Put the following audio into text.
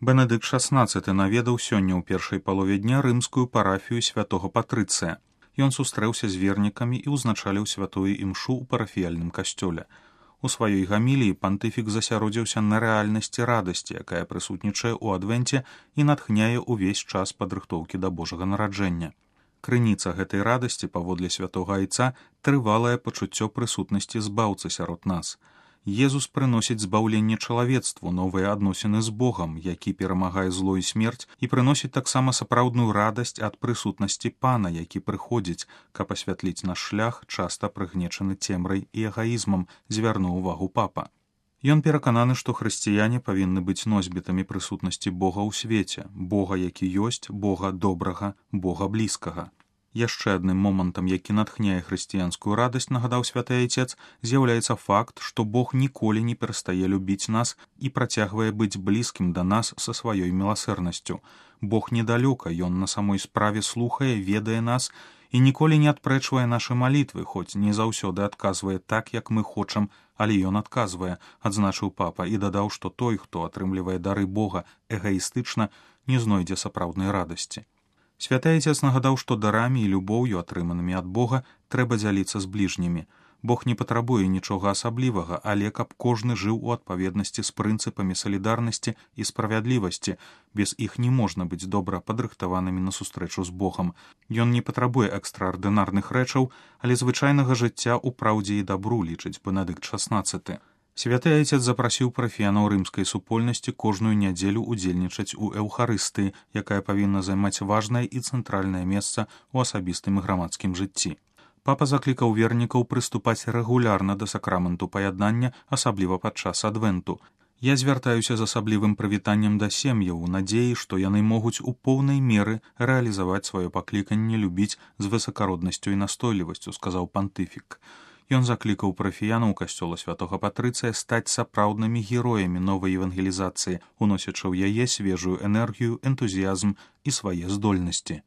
Бенедыкт XVI наведаў сёння ў першай палове дня рымскую парафію святого Патрыцыя. Ён сустрэўся з вернікамі і ўзначаліў святую імшу ў парафіяльным касцёле. У сваёй гаміліі пантыфік засяродзіўся на рэальнасці радасці, якая прысутнічае ў адвенце і натхняе ўвесь час падрыхтоўкі да Божага нараджэння. Крыніца гэтай радасці, паводле святога айца, трывалае пачуццё прысутнасці збаўцы сярод нас. Езус прыносіць збаўленне чалавецтву, новыя адносіны з Богам, які перамагае зло і смерць, і прыносіць таксама сапраўдную радасць ад прысутнасці Пана, які прыходзіць, каб асвятліць наш шлях, часта прыгнечаны цемрай і эгаізмам, звярнуў увагу папа. Ён перакананы, што хрысціяне павінны быць носьбітамі прысутнасці Бога ў свеце, Бога, які ёсць, Бога добрага, Бога блізкага. Яшчэ адным момантам, які натхняе хрысціянскую радасць, нагадаў святы айцец, з'яўляецца факт, што Бог ніколі не перастае любіць нас і працягвае быць блізкім да нас са сваёй міласэрнасцю. Бог недалёка, ён на самой справе слухае, ведае нас і ніколі не адпрэчвае нашы малітвы, хоць не заўсёды адказвае так, як мы хочам, але ён адказвае, адзначыў папа і дадаў, што той, хто атрымлівае дары Бога эгаістычна, не знойдзе сапраўднай радасці. Святы айцец нагадаў, што дарамі і любоўю, атрыманымі ад Бога, трэба дзяліцца з бліжнімі. Бог не патрабуе нічога асаблівага, але каб кожны жыў у адпаведнасці з прынцыпамі салідарнасці і справядлівасці. Без іх не можна быць добра падрыхтаванымі на сустрэчу з Богам. Ён не патрабуе экстраардынарных рэчаў, але звычайнага жыцця ў праўдзе і дабру, лічыць Бенедыкт XVI. Святы айцец запрасіў парафіянаў рымскай супольнасці кожную нядзелю удзельнічаць у эўхарыстыі, якая павінна займаць важнае і цэнтральнае месца ў асабістым і грамадскім жыцці. Папа заклікаў вернікаў прыступаць рэгулярна да сакраменту паяднання, асабліва падчас адвенту. Я звяртаюся з асаблівым прывітаннем да сем'яў у надзеі, што яны могуць у поўнай меры рэалізаваць сваё пакліканне любіць з высакароднасцю і настойлівасцю, сказаў пантыфік. Ён заклікаў парафіянаў касцёла святога Патрыцыя стаць сапраўднымі героямі новай евангелізацыі, уносячы ў яе свежую энергію, энтузіязм і свае здольнасці.